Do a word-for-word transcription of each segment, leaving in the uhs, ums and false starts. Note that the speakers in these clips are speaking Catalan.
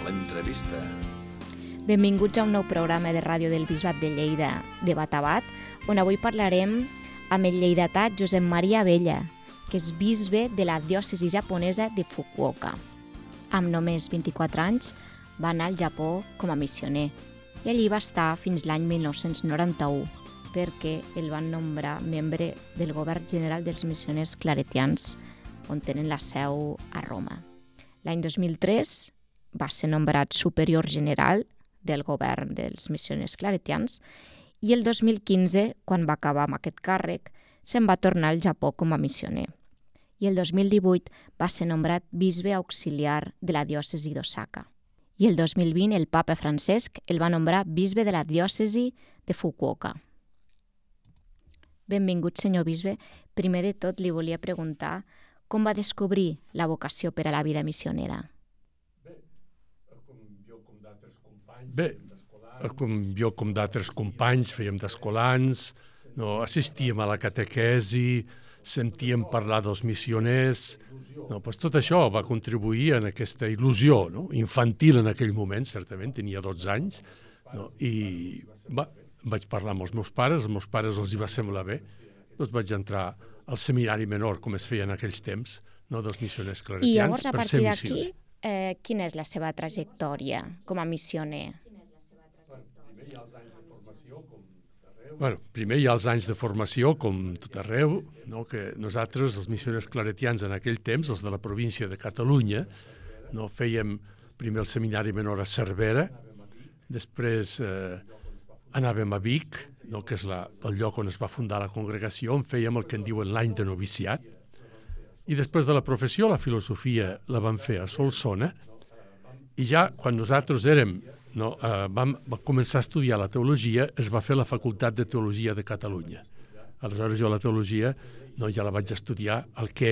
l'entrevista. Benvinguts a un nou programa de ràdio del Bisbat de Lleida, de Bat a Bat, on avui parlarem amb el lleidatà Josep Maria Abella, que és bisbe de la diòcesi japonesa de Fukuoka. Amb només vint-i-quatre anys va anar al Japó com a missioner i allí va estar fins l'any mil nou-cents noranta-u, perquè el van nombrar membre del govern general dels missioners claretians, on tenen la seu a Roma. L'any dos mil tres va ser nombrat superior general del govern dels missioners claretians i el dos mil quinze, quan va acabar amb aquest càrrec, se'n va tornar al Japó com a missioner. I el dos mil divuit va ser nombrat bisbe auxiliar de la diòcesi d'Osaka. I el dos mil vint el papa Francesc el va nombrar bisbe de la diòcesi de Fukuoka. Benvingut, senyor bisbe. Primer de tot li volia preguntar com va descobrir la vocació per a la vida missionera. Bé, com jo com d'altres companys fèiem d'escolans, no, assistíem a la catequesi, sentíem parlar dels missioners, no, doncs tot això va contribuir en aquesta il·lusió, no, infantil en aquell moment, certament, tenia dotze anys, no, i va, vaig parlar amb els meus pares, els meus pares els hi va semblar bé, doncs vaig entrar al seminari menor, com es feia en aquells temps, no, dels missioners claretians. I llavors, a partir d'aquí, eh, quina és la seva trajectòria com a missioner? Bueno, primer hi ha els anys de formació, com tot arreu, no? Que nosaltres, els missioners claretians en aquell temps, els de la província de Catalunya, no? Fèiem primer el seminari menor a Cervera, després eh, anàvem a Vic, no? Que és la, el lloc on es va fundar la congregació, on fèiem el que en diuen l'any de noviciat, i després de la professió, la filosofia la vam fer a Solsona, i ja quan nosaltres érem No, eh, vam, vam començar a estudiar la teologia, es va fer la Facultat de Teologia de Catalunya. Aleshores jo la teologia no, ja la vaig estudiar el que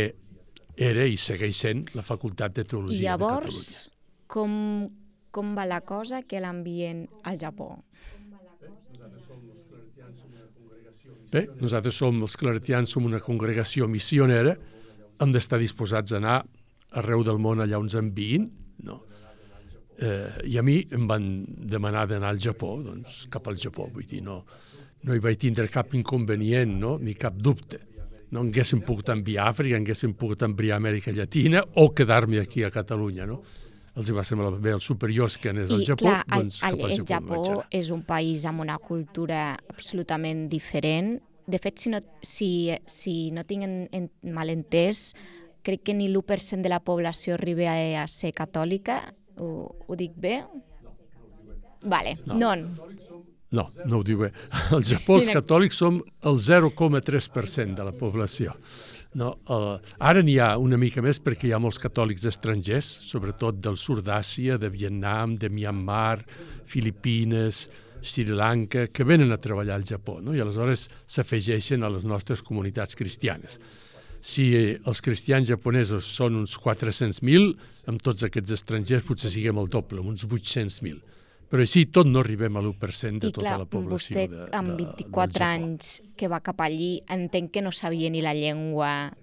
era i segueix sent la Facultat de Teologia I llavors, de Catalunya. Com, com va la cosa que l'envien al Japó? Bé, nosaltres som els claretians, som una congregació missionera, hem d'estar disposats a anar arreu del món allà on ens enviïn, no? Eh, I a mi em van demanar d'anar al Japó, doncs cap al Japó, vull dir, no, no hi vaig tindre cap inconvenient, no? Ni cap dubte. No haguéssim pogut enviar a Àfrica, haguéssim pogut enviar a Amèrica Llatina o quedar-me aquí a Catalunya, no? Els hi va semblar bé els superiors que anés al I, Japó, clar, doncs el, cap al el Japó. Japó Japó és un país amb una cultura absolutament diferent. De fet, si no, si, si no tinc en, en malentès, crec que ni l'u per cent de la població arriba a, a ser catòlica. Ho, ho dic bé? Vale, no. non. No, no ho diu bé. Al Japó els catòlics som el zero coma tres per cent de la població. No, uh, ara n'hi ha una mica més perquè hi ha molts catòlics estrangers, sobretot del sud d'Àsia, de Vietnam, de Myanmar, Filipines, Sri Lanka, que venen a treballar al Japó, no? I aleshores s'afegeixen a les nostres comunitats cristianes. Si els cristians japonesos són uns quatre-cents mil, amb tots aquests estrangers potser siguem el doble, uns vuit-cents mil. Però així tot no arribem a l'u per cent de I tota clar, la població vostè, de, de, amb vint-i-quatre anys que va cap allí, entenc que no sabia ni la llengua,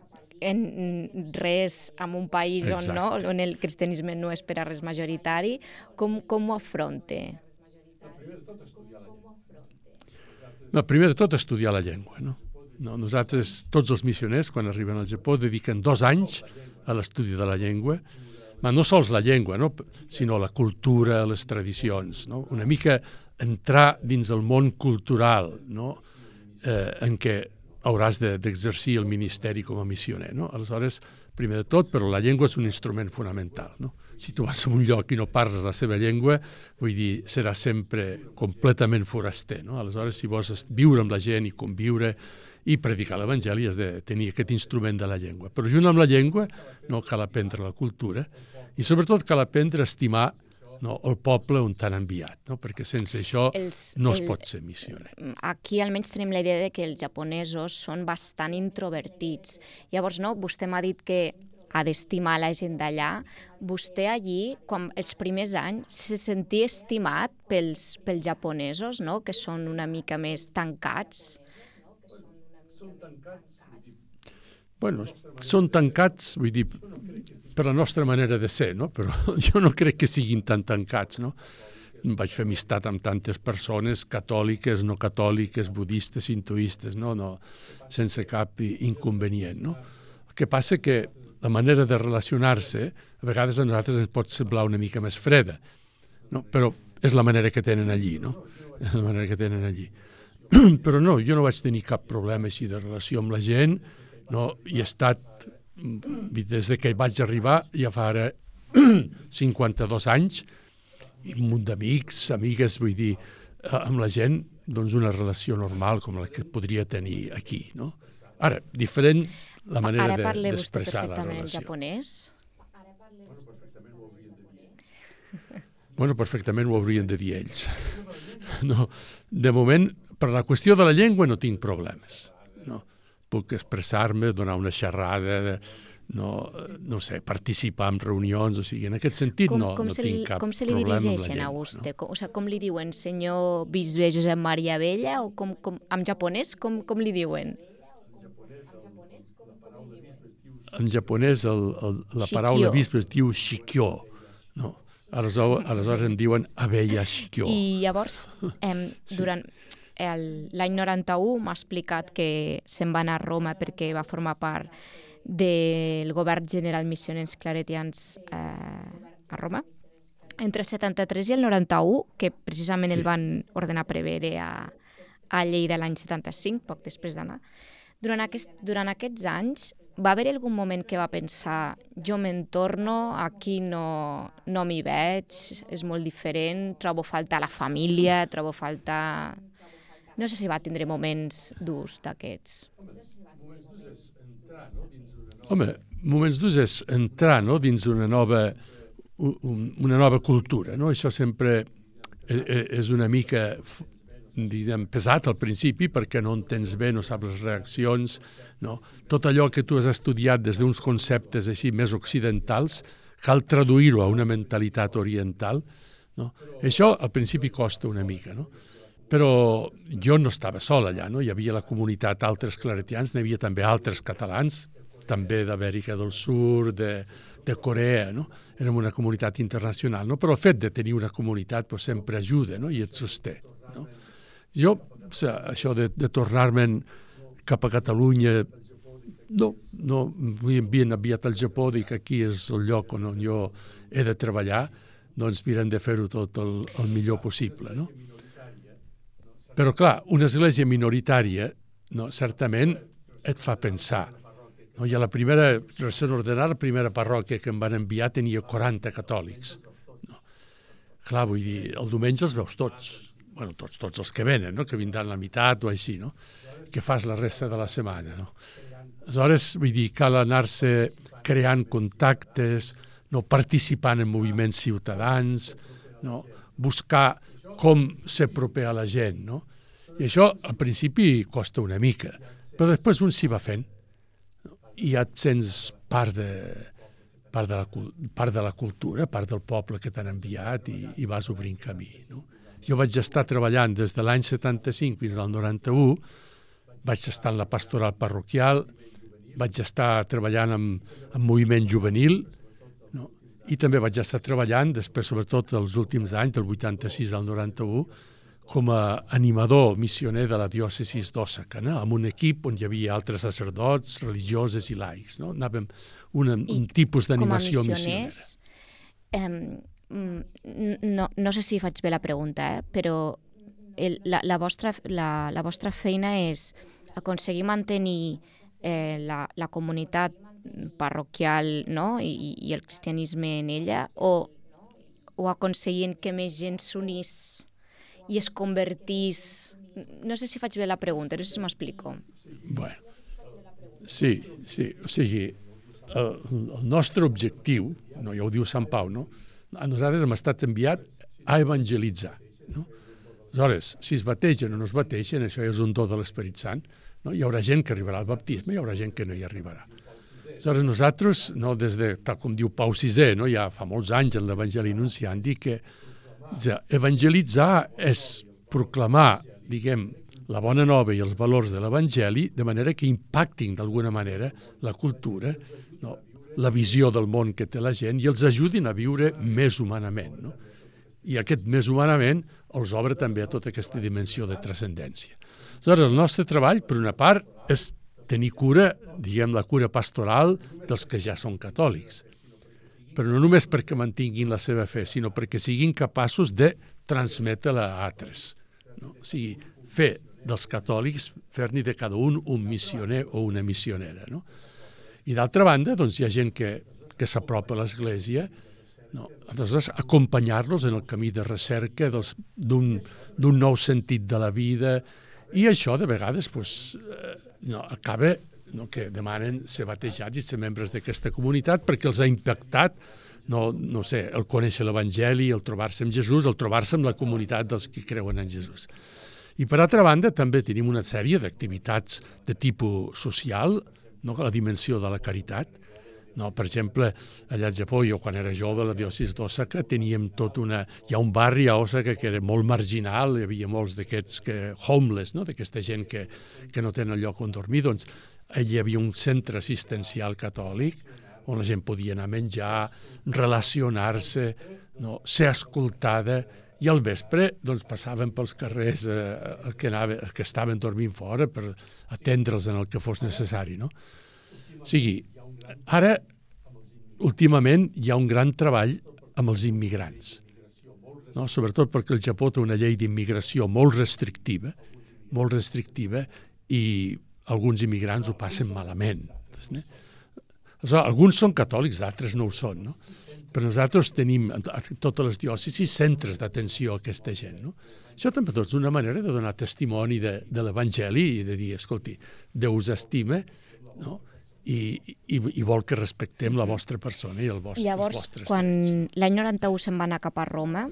en res, en un país on, no, on el cristianisme no és per a res majoritari. Com, com ho afronta? No, primer de tot estudiar la llengua, no? No, nosaltres, tots els missioners, quan arriben al Japó, dediquen dos anys a l'estudi de la llengua, ma no sols la llengua, no? Sinó la cultura, les tradicions, no? Una mica entrar dins el món cultural, no? eh, en què hauràs de, d'exercir el ministeri com a missioner, no? Aleshores, primer de tot, però la llengua és un instrument fonamental, no? Si tu vas a un lloc i no parles la seva llengua, vull dir, serà sempre completament foraster, no? Aleshores, si vols viure amb la gent i conviure i predicar l'Evangeli, has de tenir aquest instrument de la llengua. Però junt amb la llengua no cal aprendre la cultura i sobretot cal aprendre a estimar, no, el poble on t'han enviat, no? Perquè sense això els, no es el, pot ser missioner. Aquí almenys tenim la idea de que els japonesos són bastant introvertits. Llavors, no, vostè m'ha dit que ha d'estimar la gent d'allà. Vostè allí, quan els primers anys, se sentia estimat pels, pels japonesos, no? Que són una mica més tancats? bueno, són tancats, vull dir, per la nostra manera de ser, no? Però jo no crec que siguin tan tancats, no? Vaig fer amistat amb tantes persones, catòliques, no catòliques, budistes, hinduistes, no? No, sense cap inconvenient, no? El que passa que la manera de relacionar-se a vegades a nosaltres ens pot semblar una mica més freda, no? Però és la manera que tenen allí, no? És la manera que tenen allí. Però no, jo no vaig tenir cap problema així de relació amb la gent, no? I he estat, des de que vaig arribar, ja fa ara cinquanta-dos anys, i un munt d'amics, amigues, vull dir, amb la gent, doncs una relació normal com la que podria tenir aquí, no? Ara, diferent la manera d'expressar la relació. Ara parla vostè perfectament el japonès? Bueno, perfectament ho haurien de dir ells. No, de moment, per la qüestió de la llengua no tinc problemes. No? Puc expressar-me, donar una xerrada, no, no sé, participar en reunions, o sigui, en aquest sentit com, no, com no se tinc li, cap com se li problema amb la dirigeixen llengua. A vostè? No? Com, o sigui, com li diuen, senyor bisbe Josep Maria Abella, o com, com, en japonès, com, com li diuen? En japonès el, el, la paraula bisbe es diu shikyo, no? Aleshores, aleshores em diuen Abella Shikyo. I llavors, eh, durant l'any noranta-u m'ha explicat que se'n va anar a Roma perquè va formar part del govern general missioners claretians eh, a Roma. Entre el setanta-tres i el noranta-u, que precisament sí. El van ordenar prevere a, a Lleida l'any setanta-cinc, poc després d'anar. Durant, aquest, durant aquests anys, va haver algun moment que va pensar jo me'n torno, aquí no, no m'hi veig, és molt diferent, trobo falta la família, trobo falta... No sé si va tindre moments durs d'aquests. Home, moments durs és entrar, no?, dins una nova, una nova cultura, no? Això sempre és una mica, diguem, pesat al principi perquè no entens bé, no saps les reaccions, no? Tot allò que tu has estudiat des d'uns conceptes així més occidentals, cal traduir-ho a una mentalitat oriental, no? Això al principi costa una mica, no? Però jo no estava sol allà, no? Hi havia la comunitat altres claretians, n'hi havia també altres catalans, també d'Amèrica del Sud, de, de Corea, no? Érem una comunitat internacional, no? Però el fet de tenir una comunitat pues, sempre ajuda, no? I et sosté, no? Jo, o sigui, això de, de tornar-me'n cap a Catalunya, no, no, m'havien enviat al Japó, dic que aquí és el lloc on jo he de treballar, doncs mirem de fer-ho tot el, el millor possible, no? Però, clar, una església minoritària, no, certament et fa pensar. No? I a la primera, recent ordenada, la primera parròquia que em van enviar tenia quaranta catòlics. No? Clar, vull dir, el diumenge els veus tots. Bueno, tots, tots els que venen, no? Que vindran la meitat o així, no? Que fas la resta de la setmana, no? Aleshores, vull dir, cal anar-se creant contactes, no? Participant en moviments ciutadans, no? Buscar com ser proper a la gent, no? I això, al principi, costa una mica, però després un s'hi va fent. I ja et sents part de, part de, la, part de la cultura, part del poble que t'han enviat i, i vas obrint camí, no? Jo vaig estar treballant des de l'any setanta-cinc fins al noranta-u, vaig estar en la pastoral parroquial, vaig estar treballant amb, amb moviment juvenil, no? I també vaig estar treballant, després sobretot els últims anys, del vuitanta-sis al noranta-u, com a animador missioner de la diòcesis d'Òsaka, no? Amb un equip on hi havia altres sacerdots, religioses i laics, no? Anàvem una, un tipus d'animació missionera. Eh, no, no sé si faig bé la pregunta, eh? Però el, la, la, vostra, la, la vostra feina és aconseguir mantenir eh, la, la comunitat parroquial, no? I, i el cristianisme en ella, o, o aconseguint que més gent s'unís i es convertís... No sé si faig bé la pregunta, no sé si m'explico. Bueno, sí, sí, o sigui, el, el nostre objectiu, no, ja ho diu Sant Pau, no? A nosaltres hem estat enviat a evangelitzar, no? Aleshores, si es bategen o no es bategen, això és un do de l'Esperit Sant, no? Hi haurà gent que arribarà al baptisme, hi haurà gent que no hi arribarà. Aleshores, nosaltres, no, des de, tal com diu Pau sisè, no, ja fa molts anys en l'Evangeli Nunciandi, que ja, evangelitzar és proclamar, diguem, la bona nova i els valors de l'Evangeli, de manera que impactin d'alguna manera la cultura, no? La visió del món que té la gent i els ajudin a viure més humanament. No? I aquest més humanament els obre també a tota aquesta dimensió de transcendència. Aleshores, el nostre treball, per una part, és tenir cura, diguem, la cura pastoral dels que ja són catòlics. Però no només perquè mantinguin la seva fe, sinó perquè siguin capaços de transmetre-la a altres. No? O sigui, fer dels catòlics, fer-ne de cada un un missioner o una missionera. No? I d'altra banda, doncs, hi ha gent que, que s'apropa a l'Església, no? Aleshores, acompanyar-los en el camí de recerca d'un nou sentit de la vida, i això, de vegades, pues, eh, no, acaba no, que demanen ser batejats i ser membres d'aquesta comunitat perquè els ha impactat, no, no sé, el conèixer l'Evangeli, el trobar-se amb Jesús, el trobar-se amb la comunitat dels que creuen en Jesús. I, per altra banda, també tenim una sèrie d'activitats de tipus social, no, la dimensió de la caritat. No, per exemple, allà al Japó, jo quan era jove, a la diòcesi d'Osaka, teníem tot una... Hi ha un barri a Osaka que era molt marginal, hi havia molts d'aquests que homeless, no, d'aquesta gent que, que no tenen lloc on dormir, doncs allà hi havia un centre assistencial catòlic on la gent podia anar a menjar, relacionar-se, no, ser escoltada, i al vespre doncs, passaven pels carrers eh, el que anava, els que estaven dormint fora per atendre'ls en el que fos necessari. No? O sigui, ara, últimament, hi ha un gran treball amb els immigrants, no? Sobretot perquè el Japó té una llei d'immigració molt restrictiva, molt restrictiva, i alguns immigrants ho passen malament. No? Alguns són catòlics, d'altres no ho són, no? Però nosaltres tenim a totes les diòcesis centres d'atenció a aquesta gent. No? Això també és una manera de donar testimoni de, de l'Evangeli i de dir, escolti, Déu us estima, no? I, i, i vol que respectem la vostra persona i el vostre, Llavors, els vostres quan drets. L'any noranta-u se'n va anar cap a Roma,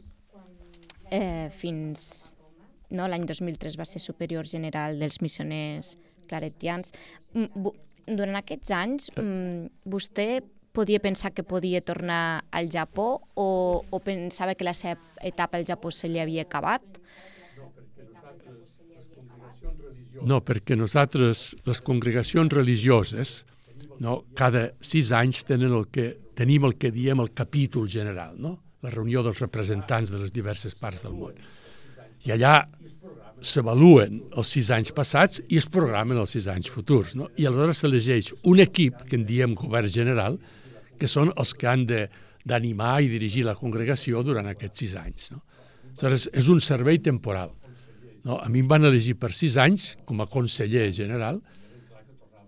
eh, fins... No, l'any dos mil tres va ser superior general dels missioners claretians. Durant aquests anys, vostè podia pensar que podia tornar al Japó o, o pensava que la seva etapa al Japó se li havia acabat? No, perquè nosaltres, les congregacions religioses, no, cada sis anys tenen el que, tenim el que diem el capítol general, no? La reunió dels representants de les diverses parts del món. I allà s'avaluen els sis anys passats i es programen els sis anys futurs. No? I aleshores s'elegeix un equip, que en diem govern general, que són els que han d'animar i dirigir la congregació durant aquests sis anys. No? Aleshores, és un servei temporal. No? A mi em van elegir per sis anys com a conseller general,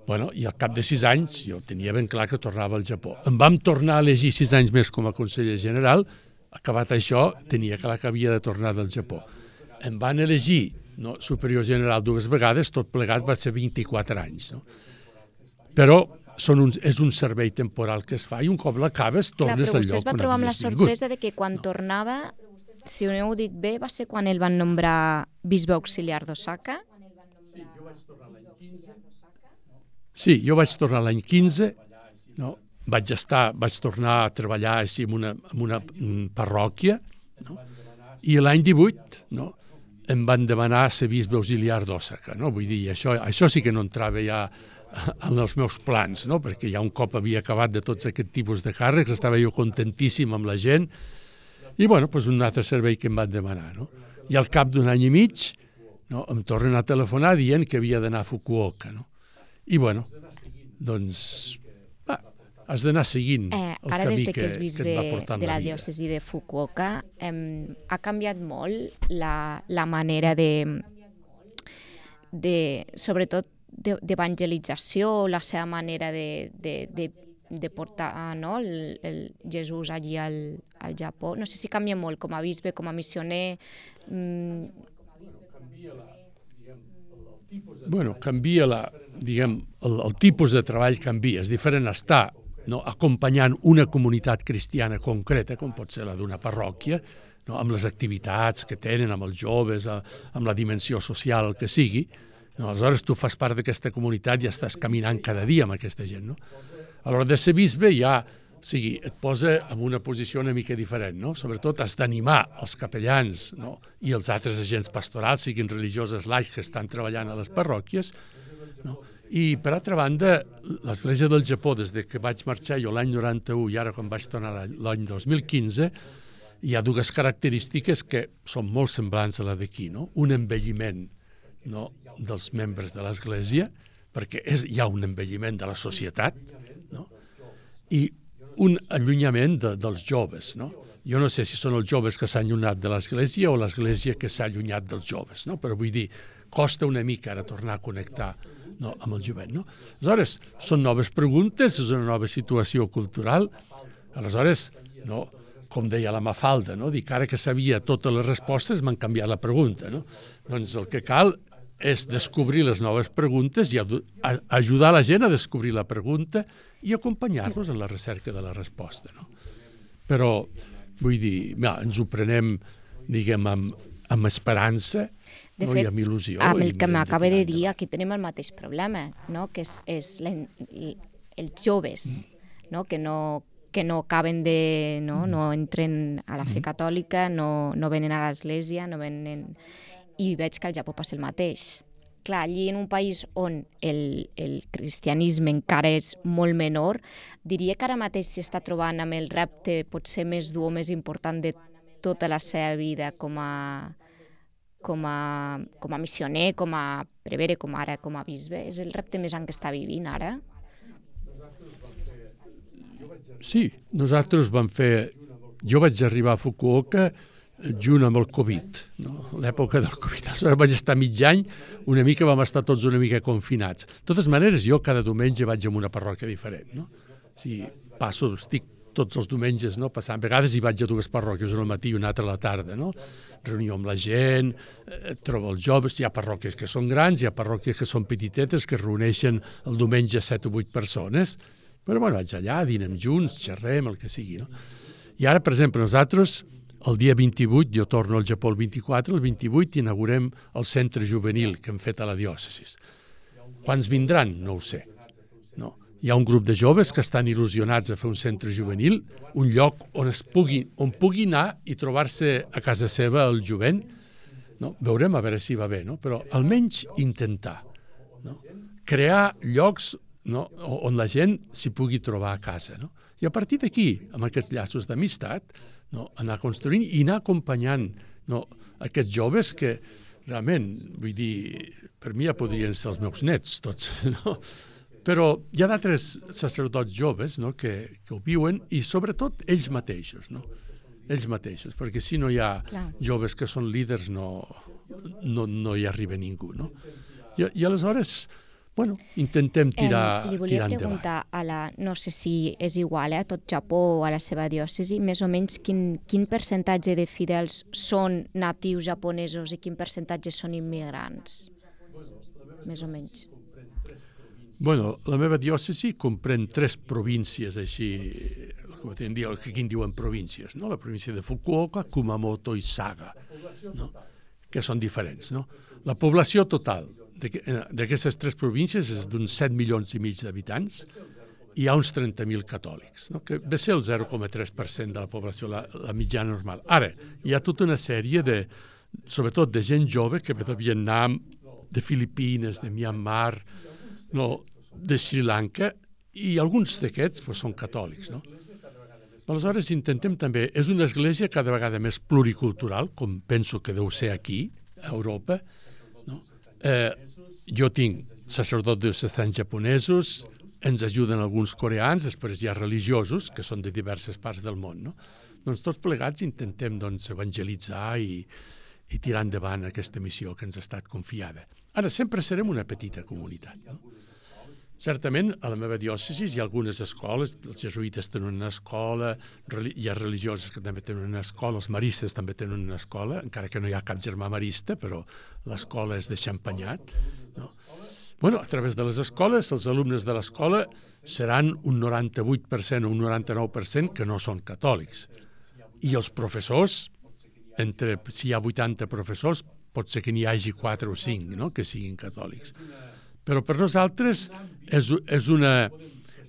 bueno, i al cap de sis anys jo tenia ben clar que tornava al Japó. Em vam tornar a elegir sis anys més com a conseller general, acabat això, tenia clar que havia de tornar del Japó. Em van elegir no, superior general dues vegades, tot plegat va ser vint-i-quatre anys. No? Però són un, és un servei temporal que es fa i un cop l'acabes tornes al lloc on havies vingut. Però vostè es va trobar amb la sorpresa de que quan no. tornava, si ho heu dit bé, va ser quan el van nombrar bisbe auxiliar d'Osaka? Sí, jo vaig tornar l'any quinze, no? vaig, estar, vaig tornar a treballar així en una, en una parròquia, no? I l'any divuit no? em van demanar ser bisbe auxiliar d'Osaka. No? Vull dir, això, això sí que no entrava ja en els meus plans, no? Perquè ja un cop havia acabat de tots aquest tipus de càrrecs, estava jo contentíssim amb la gent, i bueno, doncs un altre servei que em van demanar. No? I al cap d'un any i mig no? em tornen a telefonar dient que havia d'anar a Fukuoka. No? I bueno, doncs va, has d'anar seguint eh, el ara, camí des de que, que, és bisbe que et va portant de la, la vida. diòcesi de Fukuoka, eh, ha canviat molt la, la manera de, de sobretot, d'evangelització, la seva manera de, de, de, de portar no? el, el Jesús allí al, al Japó. No sé si canvia molt com a bisbe, com a missioner. Mm. Bueno, canvia la, diguem, el, el tipus de treball canvia. És diferent estar no, acompanyant una comunitat cristiana concreta, com pot ser la d'una parròquia, no, amb les activitats que tenen, amb els joves, amb la dimensió social, el que sigui. No, aleshores tu fas part d'aquesta comunitat i ja estàs caminant cada dia amb aquesta gent. No? A l'hora de ser bisbe hi ha sigui, et posa en una posició una mica diferent, no? Sobretot has d'animar els capellans, no? I els altres agents pastorals, siguin religioses laics que estan treballant a les parròquies, no? I, per altra banda, l'Església del Japó, des de que vaig marxar jo l'any noranta-u i ara quan vaig tornar l'any dos mil quinze, hi ha dues característiques que són molt semblants a la d'aquí, no? Un envelliment, no?, dels membres de l'Església, perquè és, hi ha un envelliment de la societat, no? I un allunyament de, dels joves, no? Jo no sé si són els joves que s'han allunyat de l'Església o l'Església que s'ha allunyat dels joves, no? Però vull dir, costa una mica ara tornar a connectar, no, amb el jovent, no? Aleshores, són noves preguntes, és una nova situació cultural. Aleshores, no, com deia la Mafalda, no? Dic, ara que sabia totes les respostes m'han canviat la pregunta, no? Doncs el que cal és descobrir les noves preguntes i ajudar la gent a descobrir la pregunta i acompanyar-los en la recerca de la resposta, no? Però, vull dir, ja, ens ho prenem, diguem, amb, amb esperança, de no? fet, I amb il·lusió. amb el que m'acaba de dir, aquí tenim el mateix problema, no? Que és, és la, els joves, no? Que no que no acaben de... no, no entren a la fe catòlica, no, no venen a l'església, no venen... I veig que al Japó passa el mateix. Clar, allí en un país on el, el cristianisme encara és molt menor, diria que ara mateix s'està trobant amb el repte potser més dur o més important de tota la seva vida com a, com a, com a missioner, com a prevere, com ara com a bisbe. És el repte més gran que està vivint ara? Sí, nosaltres vam fer... Jo vaig arribar a Fukuoka junt amb el Covid, no? L'època del Covid. Aleshores vaig estar mig any, una mica vam estar tots una mica confinats. De totes maneres, jo cada diumenge vaig a una parròquia diferent, no? Si passo, estic tots els diumenges, no? Passant. A vegades hi vaig a dues parròquies, una al matí i una altra a la tarda, no? Reunió amb la gent, eh, trobo els joves, hi ha parròquies que són grans, hi ha parròquies que són petitetes, que es reuneixen el diumenge set o vuit persones, però bueno, vaig allà, dinem junts, xerrem, el que sigui, no? I ara, per exemple, nosaltres, el dia vint-i-vuit, jo torno al Japó el vint-i-quatre, el vint-i-vuit inaugurem el centre juvenil que hem fet a la diòcesi. Quants vindran? No ho sé. No. Hi ha un grup de joves que estan il·lusionats a fer un centre juvenil, un lloc on es pugui, on pugui anar i trobar-se a casa seva el jovent. No? Veurem a veure si va bé, no? Però almenys intentar, no? Crear llocs, no? On la gent s'hi pugui trobar a casa, no? I a partir d'aquí, amb aquests llaços d'amistat, no? Anar construint i anar acompanyant, no? Aquests joves que realment, vull dir, per mi ja podrien ser els meus nets tots, no? Però hi ha d'altres sacerdots joves, no? que, que ho viuen i sobretot ells mateixos, no? Ells mateixos, perquè si no hi ha Clar. joves que són líders no, no, no hi arriba ningú, no? I, i aleshores... Bueno, intentem tirar, eh, li volia tirar endavant. preguntar, a la, no sé si és igual eh, a tot Japó o a la seva diòcesi, més o menys quin, quin percentatge de fidels són natius japonesos i quin percentatge són immigrants? Més o menys. Bueno, la meva diòcesi comprèn tres províncies així, com dir, el que aquí en diuen províncies, no? La província de Fukuoka, Kumamoto i Saga, no? Que són diferents, no? La població total d'aquestes tres províncies és d'uns set milions i mig d'habitants i hi ha uns trenta mil catòlics, no? Que ve ser el zero coma tres per cent de la població, la, la mitjana normal. Ara, hi ha tota una sèrie de, sobretot de gent jove que ve de Vietnam, de Filipines, de Myanmar, no, de Sri Lanka, i alguns d'aquests pues, són catòlics, no? Aleshores intentem també, és una església cada vegada més pluricultural, com penso que deu ser aquí, a Europa, no? Eh, jo tinc sacerdots diocesans japonesos, ens ajuden alguns coreans, després hi ha religiosos, que són de diverses parts del món, no? Doncs tots plegats intentem doncs, evangelitzar i, i tirar endavant aquesta missió que ens ha estat confiada. Ara, sempre serem una petita comunitat, no? Certament, a la meva diòcesi hi ha algunes escoles, els jesuïtes tenen una escola, hi ha religioses que també tenen una escola, els maristes també tenen una escola, encara que no hi ha cap germà marista, però l'escola és de Champagnat, no? Bueno, a través de les escoles, els alumnes de l'escola seran un noranta-vuit per cent o un noranta-nou per cent que no són catòlics. I els professors, entre, si hi ha vuitanta professors, pot ser que n'hi hagi quatre o cinc, no?, que siguin catòlics. Però per nosaltres és, és, una,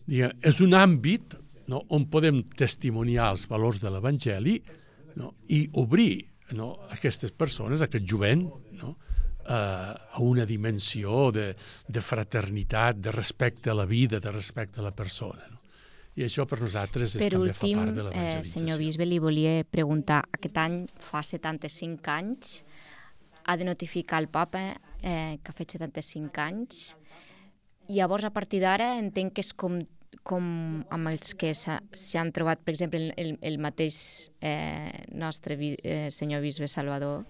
diguem, és un àmbit no? On podem testimoniar els valors de l'Evangeli, no? I obrir, no? Aquestes persones, aquest jovent, no? a una dimensió de, de fraternitat, de respecte a la vida, de respecte a la persona. No? I això per nosaltres és, per també últim, fa part de eh, l'evangelització. senyor bisbe, li volia preguntar, aquest any fa setanta-cinc anys, ha de notificar el papa eh, que ha fet setanta-cinc anys, i llavors a partir d'ara entenc que és com, com amb els que s'hi han trobat, per exemple, el, el mateix eh, nostre eh, senyor bisbe Salvador,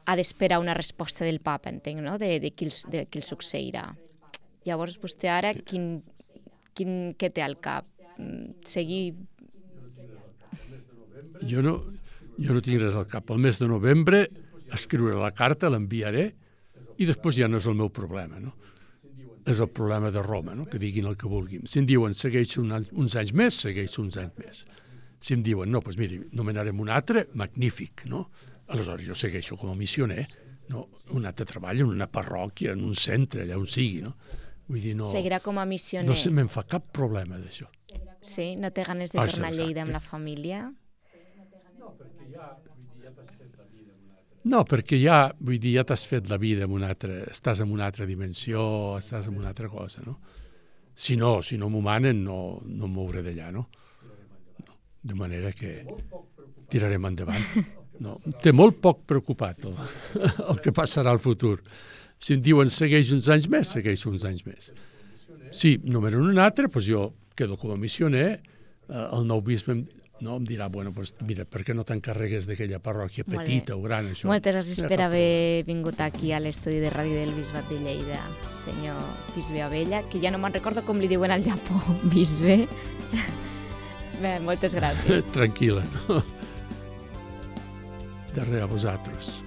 ha d'esperar una resposta del papa, entenc, no? de, de, qui, de qui el succeirà. Llavors, vostè ara, quin, quin, què té al cap? Seguir... Jo no, jo no tinc res al cap. El mes de novembre escriuré la carta, l'enviaré, i després ja no és el meu problema, no? És el problema de Roma, no? Que diguin el que vulguin. Si em diuen segueixo un any, uns anys més, segueixo uns anys més. Si em diuen, no, doncs miri, nomenarem un altre, magnífic, no? Aleshores jo segueixo com a missioner, no? Un altre treball en una parròquia, en un centre, allà on sigui, no? Vull dir, no... Seguirà com a missioner. No se me'n fa cap problema d'això. Sí? No té ganes de Ah, tornar a exacte. Lleida amb la família? No, perquè ja, vull dir, ja t'has fet la vida en una altra... Estàs en una altra dimensió, estàs en una altra cosa, no? Si no, si no m'ho manen, no, no em mouré d'allà, no? no? De manera que tirarem endavant. No, té molt poc preocupat el, el que passarà al futur. Si em diuen segueix uns anys més, segueix uns anys més. Si nomenen un altre, doncs jo quedo com a missioner, eh, el nou bisbe em, no, em dirà, bueno, doncs mira, per què no t'encarregues d'aquella parròquia petita o gran, això? Moltes gràcies per haver vingut aquí a l'estudi de ràdio del Bisbat de Lleida, senyor bisbe Abella, que ja no me'n recordo com li diuen al Japó, bisbe. Bé, moltes gràcies. Tranquil·la, no? De res a vosaltres.